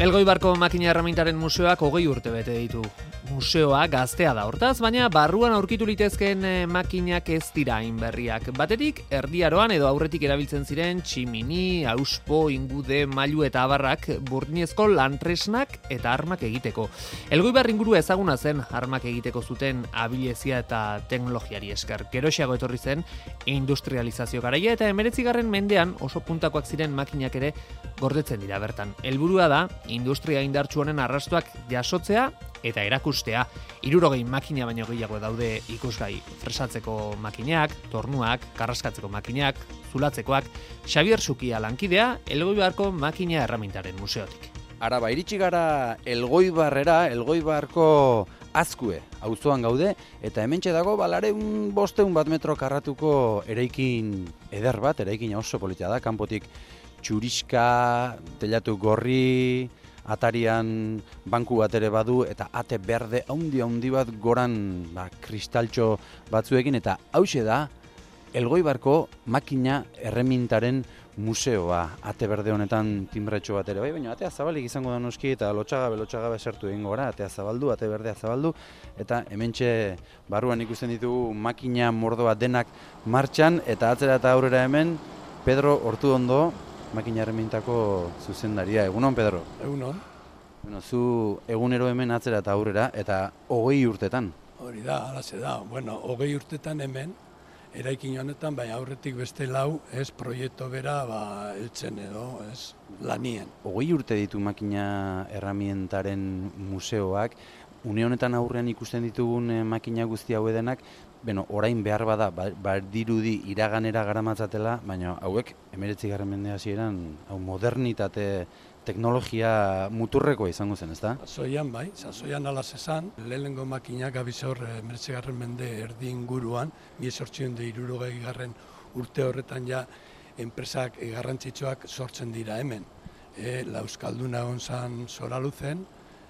Elgoibarko makina erramintaren museoak 20 urte bete ditu. Museoa gaztea da hortaz, baina barruan aurkitu litezkeen makinak ez dira hain berriak. Batetik, erdiaroan edo aurretik erabiltzen ziren tximini, auspo, ingude, mailu eta abarrak burdinezko lantresnak eta armak egiteko. Elgoibar ingurua ezaguna zen armak egiteko zuten abilezia eta teknologiari esker. Geroxeago etorri zen industrializazio garaia eta 19. mendean oso puntakoak ziren makinak ere gordetzen dira bertan. Helburua da industria indartsu honen arrastoak jasotzea eta erakustea. 60 makina baino gehiago daude ikusgai: fresatzeko makinak, tornuak, karraskatzeko makinak, zulatzekoak. Xabier Sukia lankidea, Elgoibarko makina erramintaren museotik. Araba, iritsi gara Elgoibarrera, Elgoibarko Azkue auzoan gaude, eta hementxe dago balareun 500 metro karratuko eraikin eder bat, eraikin oso polita da, kanpotik txuriska, telatu gorri, atarian banku bat ere badu, eta ate berde haundi bat goran kristaltxo batzuekin, eta hauxe da Elgoibarko makina erremintaren museoa. Ate berde honetan timbretxo bat ere bai, baina atea zabalik izango da noski, eta lotxagabe sartu egingo gara, atea zabaldu, ate berdea zabaldu, eta hementxe barruan ikusten ditugu makina mordoa denak martxan, eta atzera eta aurrera hemen Pedro Ortuondo, makina erremintako zuzendaria. Egunon, Pedro? Egunon. Bueno, zu egunero hemen atzera eta aurrera, eta 20 urtetan. Hori da, alaze da. Bueno, 20 urtetan hemen, eraikin honetan, bai aurretik beste lau, ez proiektu bera, eltzen edo, ez lanien. 20 urte ditu makina erramientaren museoak, une honetan aurrean ikusten ditugun makina guzti hau edenak, orain behar bada, dirudi iraganera garamatzatela, baina hauek 19. mende hasieran hau modernitate teknologia muturrekoa izango zen, ezta? Sasoian bai, sasoian alaz esan, lehenengo makinak abizor 19. mende erdi inguruan, 1860 urte horretan ja enpresak garrantzitsuak sortzen dira hemen. Euskalduna egon zan Soraluzen,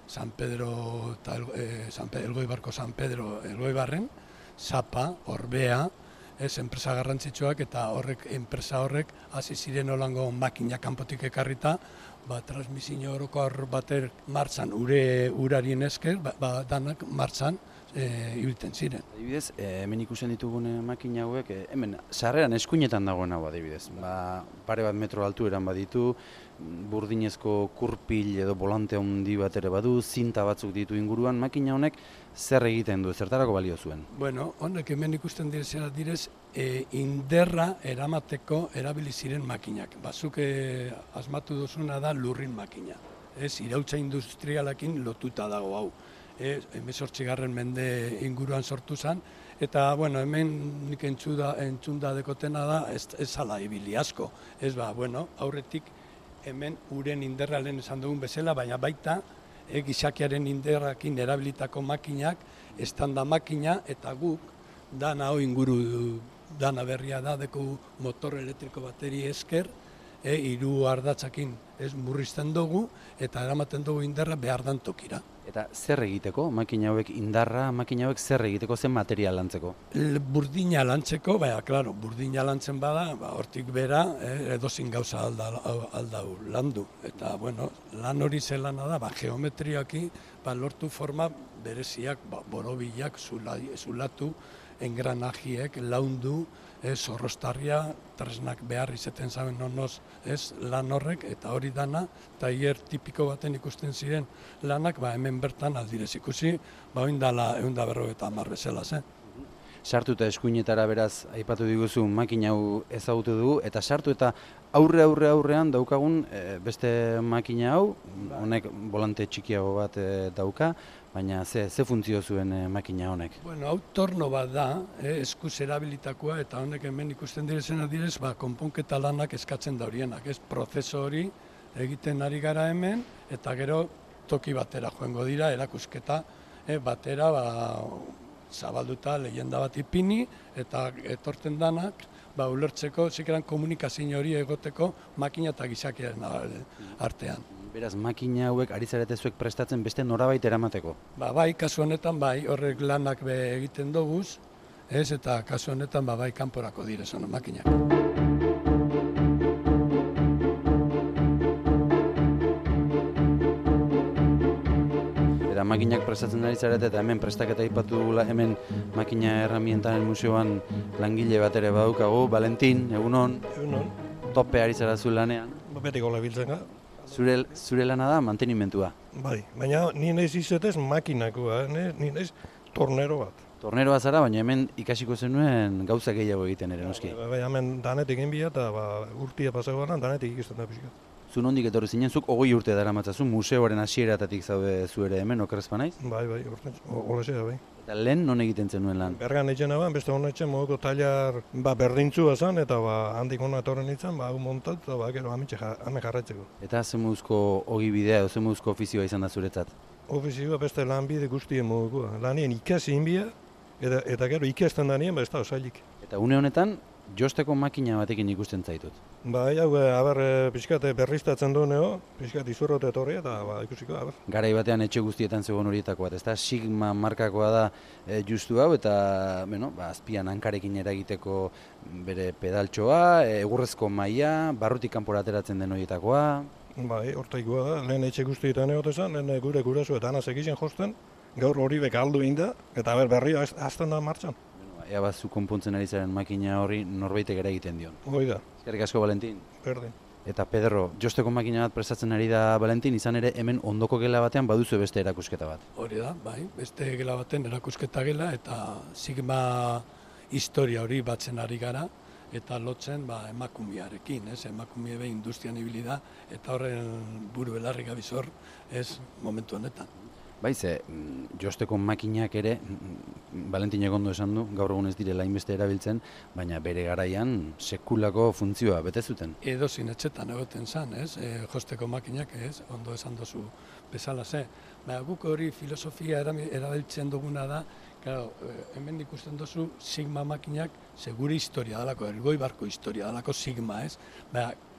San Pedro, Elgoibarko San Pedro Elgoibarren, Zapa, Orbea, enpresa garrantzitsuak, eta enpresa horrek hasi ziren holango makina kanpotik ekarrita, transmisio orokor bater martxan, urarien esker, danak martxan ibiltzen ziren. Adibidez, hemen ikusten ditugun makina hauek, hemen sarreran eskuinetan dagoen hau adibidez. Pare bat metro altueran baditu, burdinezko kurpil edo volante handi bat ere badu, zinta batzuk ditu inguruan, makina honek zer egiten du, zertarako balio zuen? Bueno, honek hemen ikusten direz, inderra eramateko erabili ziren makinak. Bazuk asmatu duzuna da lurrin makina. Irautza industrialakin lotuta dago hau. 18. mende inguruan sortu zen, eta hemen nik entzunda dekotena da, ez ala ibili asko. Aurretik hemen uren inderra lehen esan dugun bezala, baina baita gizakiaren inderrakin erabilitako makinak, estanda makina, eta guk dana hau inguru dana berria da, deku motor elektriko bateri esker, 3 ardatzakin murrizten dugu, eta eramaten dugu inderra behar dan tokira. Eta zer egiteko, makina hauek indarra, makina hauek zer egiteko, zen material lantzeko? Burdina lantzeko, burdina lantzen bada, hortik bera, edozin gauza aldau landu. Eta, lan hori zelana da, geometriaki, lortu forma bereziak, borobilak, zulatu, engranajiek, laundu, zorrostarria, tresnak behar izaten zaben nonoz, lan horrek, eta hori dana, tailer tipiko baten ikusten ziren lanak, hemen bertan aldirez ikusi, oindala 150 bezala zen. Sartu eta eskuinetara beraz, aipatu diguzu, makina hau ezagutu dugu, eta sartu eta aurrean daukagun beste makina hau, honek volante txikiago bat dauka, baina ze funtzio zuen makina honek? Hau torno bat da, eskuz erabilitakoa, eta honek hemen ikusten direzena direz, konponketa lanak eskatzen da horienak, prozeso hori egiten ari gara hemen, eta gero toki batera joango dira, erakusketa batera, zabalduta lehenda bat ipini, eta etorten danak, ulertzeko, zikeran komunikazio hori egoteko makina eta gizakiaren artean. Beraz, makina hauek ari zarete zuek prestatzen beste norabait eramateko? Bai, kasu honetan horrek lanak egiten doguz, eta kasu honetan kanporako direzona makinak. makinak prestatzen ari zarete, eta hemen prestaketa aipatu dugula, hemen makina herramientaren museoan langile bat ere badaukagu. Valentin, egunon, Egunon, tope ari zara zu lanean. betiko labiltzen ga. Zure lana da mantenimentua. Bai, baina ni naiz izetez makinakoa, ni naiz tornero bat. Torneroa zara, baina hemen ikasiko zenuen gauza gehiago egiten ere, noski. Bai, hemen danetik enbia eta urtia pasagoan danetik ikusten da pixka. Zu nondik etorri zinen, zuk 20 urte daramatzazu, museoaren hasieratatik zaude zu ere hemen, okerrezpa naiz? Bai, urten, olesea, bai. Eta lehen non egiten zenuen lan? Bergan etxena ban, beste honetxe moduko tailar berdintzua zan, eta handik hona etorren nintzen, hau montat, eta gero hame jarraitzeko. Eta zemuzko ogi bidea, edo zemuzko ofizioa izan da zuretzat? Ofizioa beste lanbide guztien modukoa. Lanien ikasi inbia, eta gero ikasten danien, ez da osailik. Eta une honetan, josteko makina batekin ikusten zaitut. Bai, hau, pixkat berriztatzen dueneo, pixkat izurrote etorri eta ikusiko, Garai batean etxe guztietan zegoen horietako bat, ezta? Sigma markakoa da justu hau, eta azpian hankarekin eragiteko bere pedaltxoa, egurrezko maila, barrutik kanpora ateratzen den horietakoa. Bai, hortaikoa da, lehen etxe guztietan egotezan, lehen gure guraso eta anaz egiten josten, gaur hori beka aldu inda, eta berria azten da martxan. Ea bat zu konpontzen ari zaren makina horri norbaitek eragiten dion. Hoi da. Eskerrik asko, Valentin. Berdin. Eta Pedro, josteko makina bat prestatzen ari da Valentin, izan ere hemen ondoko gela batean baduzu beste erakusketa bat. Hori da, bai, beste gela baten erakusketa gela eta Sigma historia hori batzen ari gara eta lotzen emakumearekin, emakume be industrian ibili da eta horren buru belarri gabizor momentu honetan. Bai, josteko makinak ere, Valentinek ondo esan du, gaur egun ez direla hainbeste erabiltzen, baina bere garaian sekulako funtzioa bete zuten. Edozein etxetan egoten zan, josteko makinak, ondo esan dozu bezala ze. Guk hori filosofia erabiltzen duguna da, hemen ikusten dozu Sigma makinak segure historia dalako, Elgoibarko historia dalako Sigma,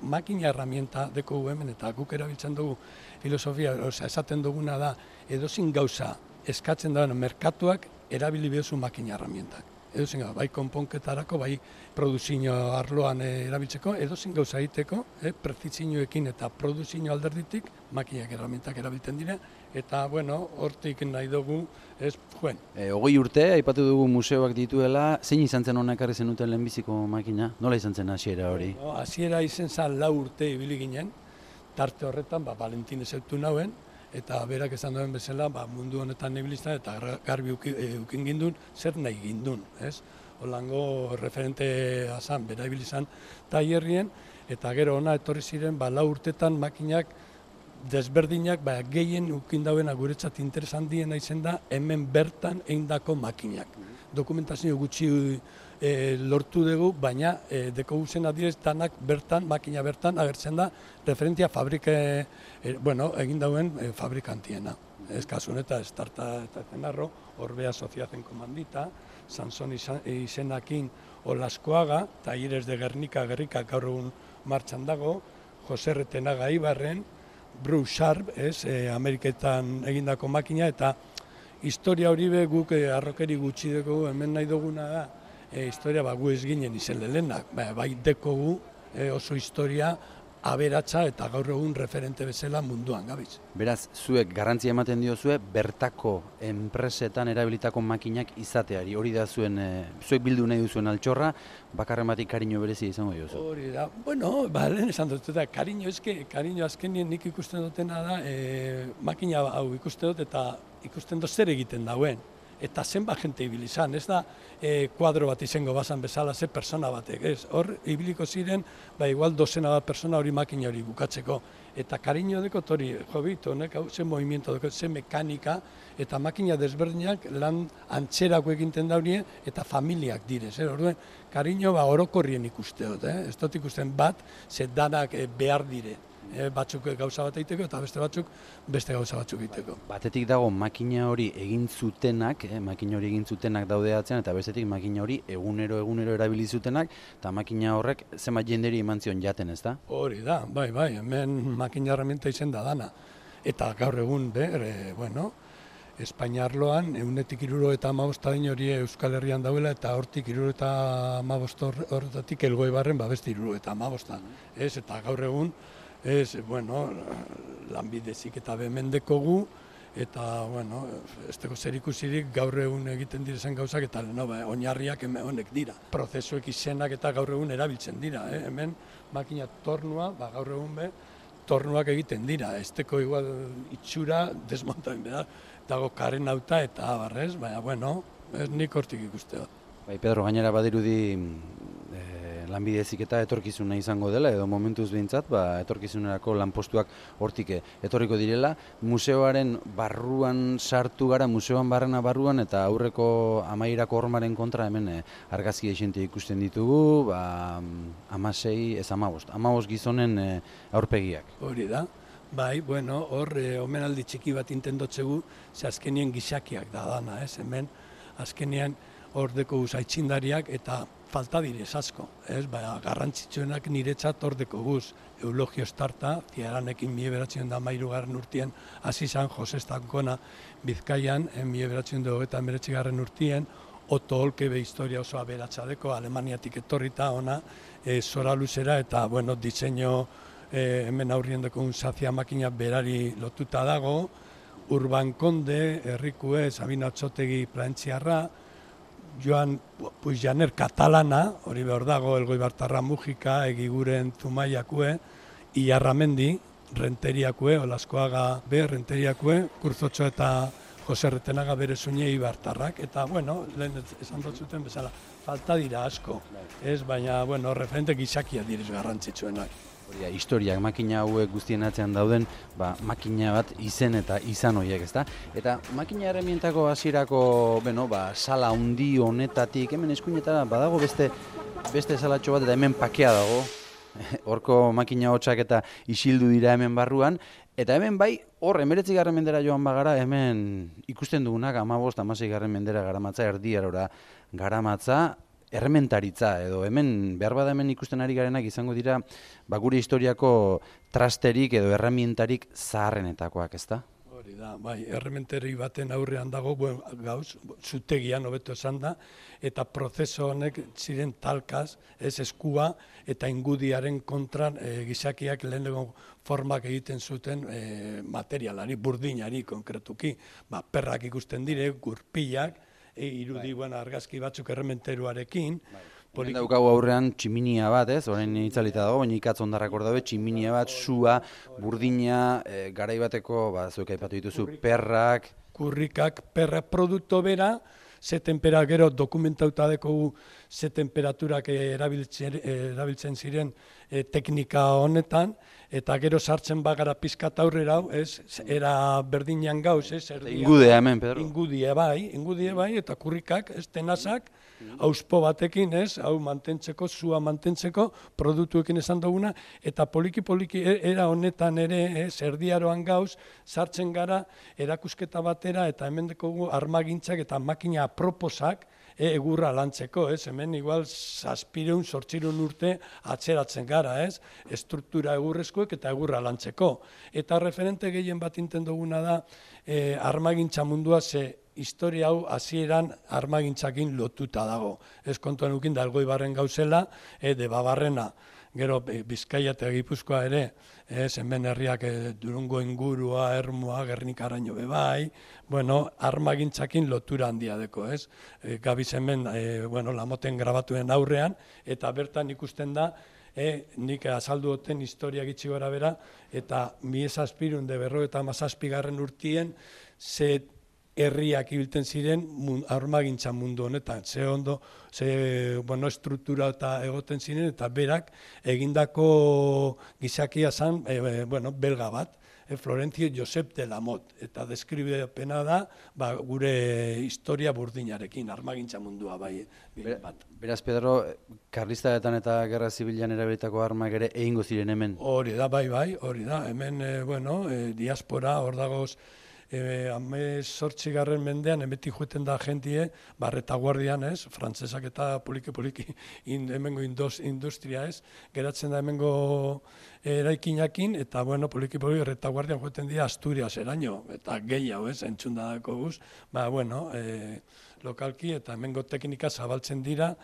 makina herramienta deko hemen eta guk erabiltzen dugu filosofia, esaten duguna da, edozein gauza eskatzen da merkatuak erabili behuzu makina herramientak. Edozein gauza, bai konponketarako, bai produzio arloan erabiltzeko, edozein gauza egiteko, prezizioekin eta produzio alderditik makinak herramientak erabiltzen dira, eta, hortik nahi dugu, joen. 20 urte, aipatu dugu museoak dituela, zein izan zen hona ekarri zenuten lehenbiziko makina? Nola izan zen hasiera hori? Hasiera izan zen 4 urte ibili ginen, tarte horretan, Valentin ezautu nauen, eta berak esan duen bezala, mundu honetan ibilizan eta garbi ukin gindun, zer nahi gindun, Holango referente azan, bera ibilizan tailerrien, eta gero ona etorri ziren, 4 urtetan makinak desberdinak, gehien ukin dauena guretzat interesan diena izen da, hemen bertan eindako makinak. Dokumentazio gutxi lortu dugu, baina deko guzen adirez danak bertan, makina bertan agertzen da referentzia egin dauen fabrikantiena. Ez kasun eta Estarta eta Zenarro, Orbea Soziazen Komandita, Sanson izenakin Olaskoaga, Talleres de Gernika gaur egun martxan dago, Jose Retenaga Ibarren, Bruce Sharp, Ameriketan egindako makina, eta historia hori guk arrokeri gutxi dugu, hemen nahi duguna da, historia gu ez ginen izen lehenak, bai dekogu oso historia aberatsa eta gaur egun referente bezala munduan gabiz. Beraz, zuek garrantzia ematen diozue bertako enpresetan erabilitako makinak izateari. Hori da zuek bildu nahi duzuen altxorra, bakarren batik kariño berezia izango diozu. Hori da, lehen esan dut, kariño azkenien nik ikusten dutena da, makina hau ikusten dut eta ikusten dut zer egiten dauen. Eta zenbat jente ibili izan, ez da kuadro bat izango bazan bezala ze persona batek, hor ibiliko ziren, igual dozena bat persona hori makina hori bukatzeko. Eta kariño dekot hori, honek ze movimiento dekot, ze mekanika, eta makina desberdinak lan antzerako eginten daurien, eta familiak direz. Orduen, kariño orokorrien ikuste dut, ez dut ikusten bat, ze danak behar dire. Batzuk gauza bat egiteko eta beste batzuk beste gauza batzuk egiteko. Batetik dago makina hori egin zutenak daude atzean, eta bestetik makina hori egunero erabili zutenak, eta makina horrek zenbat jenderi eman zion jaten, ez da? Hori da, bai, hemen makina herramienta izen da dana. Eta gaur egun, Espainiarloan, 175 hori Euskal Herrian dauela, eta hortik 75 horretatik Elgoibarren beste 75. Eta gaur egun, lanbidezik eta behemen dekogu, eta, bueno, ez dago zer ikusirik gaur egun egiten direzen gauzak, eta oinarriak honek dira. Prozesuek izenak eta gaur egun erabiltzen dira, hemen makina tornua, gaur egun tornuak egiten dira, ez dago igual itxura desmontatzen behar, dago karen auta eta abarrez, baina, bueno, nik hortik ikuste dut. Bai, Pedro, gainera badirudi lanbide heziketa etorkizuna izango dela, edo momentuz behintzat, etorkizunerako lanpostuak hortik etorriko direla. Museoaren barruan sartu gara, museoan barruan, eta aurreko amaierako hormaren kontra hemen argazki esente ikusten ditugu, 15 gizonen aurpegiak. Hori da. Bai, bueno, hor omenaldi txiki bat intendotzegu, ze azkenien gizakiak da dana, hemen azkenean hor deko guz aitzindariak eta falta direz asko, garrantzitsuenak niretzat hor deko guz. Eulogio Estarta, Ziaranekin 1913 urtien, hasi zan Jose Estankona Bizkaian, 1929 urtien, Otto Olkebe historia oso aberatsadeko, Alemaniatik etorrita ona, zora luzera eta, bueno, diseño hemen aurrien deko unzazia makina berari lotuta dago, Urban Konde, Herrikue, Sabino Atxotegi Plantziarra, Joan Puigjaner katalana, hori behar dago, Elgoibartarra Mujika, Egiguren Zumaiakue, Iarramendi, Renteriakue, Olaskoaga Renteriakue, Kurzotxo eta Jose Retenaga bere zuine Ibartarrak, eta, bueno, lehen esan dut zuten bezala, falta dira asko, baina, bueno, referente gizakia direz garrantzitsuenak. Historiak makina hauek guztien atzean dauden, makina bat izen eta izan horiek, ezta? Eta makina erremientako hasierako, sala handi honetatik, hemen eskuinetara badago beste salatxo bat, eta hemen pakea dago, horko makina hotxak eta isildu dira hemen barruan, eta hemen bai, hor, 19. mendera joan bagara, hemen ikusten dugunak 15-16 mendera garamatza, erdiarora garamatza, errementaritza, edo hemen, behar bada hemen ikusten ari garenak izango dira, gure historiako trasterik edo erremientarik zaharrenetakoak, ezta? Hori da, bai, errementeri baten aurrean dago, gauz, zutegian hobeto esan da, eta prozeso honek ziren talkaz, eskua eta ingudiaren kontran gizakiak lehenengo formak egiten zuten materialari, burdinari konkretuki, perrak ikusten dire, gurpilak, irudi argazki batzuk errementeruarekin. Hemen daukagu aurrean tximinia bat, orain itzalita dago, baina ikatz ondarrak hor daude, tximinia bat, sua, burdina, garaibateko, zuek aipatu dituzu, perrak. Kurrikak, perrak, produkto bera, ze tempera gero dokumentauta dekogu ze temperaturak erabiltzen ziren teknika honetan, eta gero sartzen bagara pizkat aurrera, era berdinean gauz, Ingudea hemen, Pedro. Ingudie bai, eta kurrikak, tenazak, auspo batekin, hau mantentzeko, zua mantentzeko, produktuekin esan duguna, eta poliki-poliki era honetan ere, erdiaroan gauz, sartzen gara erakusketa batera, eta hemen dekogu armagintzak eta makina aproposak egurra lantzeko, hemen igual 700-800 urte atzeratzen gara, estruktura egurrezkoek eta egurra lantzeko. Eta referente gehien bat inten duguna da armagintza mundua ze historia hau hasieran armagintzakin lotuta dago. Ez kontuan ukin da Elgoibarren gauzela, Debabarrena, gero Bizkaia eta Gipuzkoa ere, hemen herriak Durungo ingurua, Ermua, Gernikaraino bebai, armagintzakin lotura handia deko, Gabiz hemen, Lamoten grabatuen aurrean, eta bertan ikusten da, nik azaldu duten historia gitxi gora bera, eta 1757 urtien, ze herriak ibiltzen ziren armagintza mundu honetan, ze ondo, ze estruktura eta egoten ziren, eta berak egindako gizakia zen, belga bat, Florencio Josep de la Mot, eta deskribepena da gure historia burdinarekin, armagintza mundua bai bat. Beraz, Pedro, karlistaetan eta gerra zibilan erabilitako armak ere egingo ziren hemen? Hori da, bai, hori da, hemen, diaspora, hor dagoz, 18. mendean, emetik joeten da jentie, retaguardian, frantzesak eta poliki-poliki hemengo industria, geratzen da hemengo eraikinakin, eta, poliki-poliki retaguardian joeten dira Asturias eraino, eta gehiago, entzun da dako guz, lokalki, eta hemengo teknika zabaltzen dira,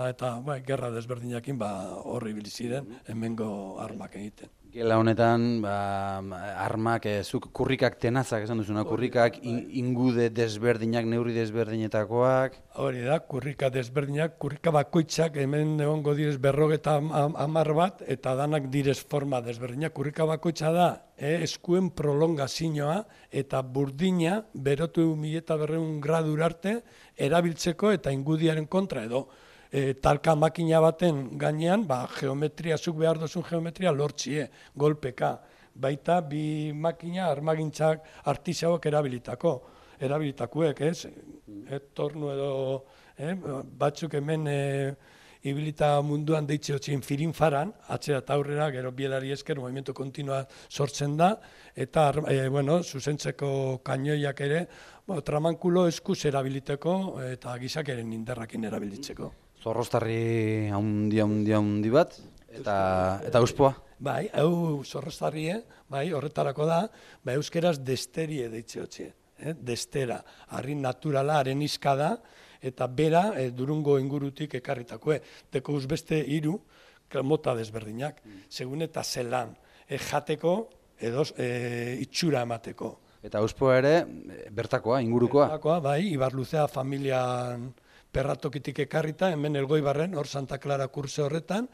eta gerra desberdinakin horri biliziren hemengo armak egiten. Gela honetan, armak, zuk kurrikak tenazak esan duzuna, kurrikak ingude desberdinak, neurri desberdinetakoak. Hori da, kurrika desberdinak, kurrika bakoitzak hemen egongo direz 50 bat, eta danak direz forma desberdinak. Kurrika bakoitza da, eskuen prolongazioa eta burdina berotu 1200 gradura arte erabiltzeko eta ingudiaren kontra edo. Talka makina baten gainean, geometria, zuk behar duzun geometria lortzie, golpeka. Baita bi makina armagintzak artisauak erabilitakuek, ez? Tornu edo, batzuk hemen ibilita munduan deitzeotzien firinfaran, atzera eta aurrera, gero bielari esker, movimiento kontinua sortzen da, eta, zuzentzeko kainoiak ere, tramankulo eskuz erabiliteko eta gizakeren indarrakin erabilitzeko. Zorroztarri handi bat, eta uspoa. Bai, hau zorroztarri, horretarako da, euskeraz desterie deitzeotzie. Destera, harri naturala, haren izka da, eta bera Durungo ingurutik ekarritakoe. Teko beste 3 mota desberdinak, segun eta zelan, jateko edo itxura emateko. Eta uspoa ere, bertakoa, ingurukoa. Bertakoa, bai, Ibarluzea familian perratokitik ekarrita, hemen Elgoibarren, hor Santa Clara kurse horretan,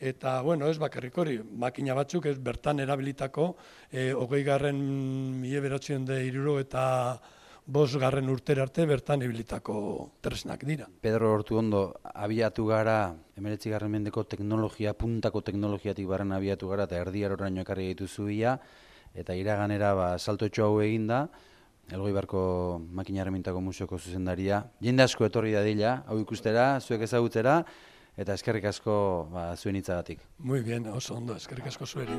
eta, ez bakarrik hori, makina batzuk ez bertan erabilitako 1970 eta 5. urtera arte bertan ibilitako tresnak dira. Pedro Ortuondo, abiatu gara, 19. mendeko teknologia, puntako teknologiatik barren abiatu gara, eta erdiaroraino ekarri dituzu ia, eta iraganera saltotxo hau eginda, Elgoibarko Makina Erremintako Museoko zuzendaria. Jende asko etorri dadila, hau ikustera, zuek ezagutzera, eta eskerrik asko zuen hitzagatik. Muy bien, oso ondo, eskerrik asko zueri.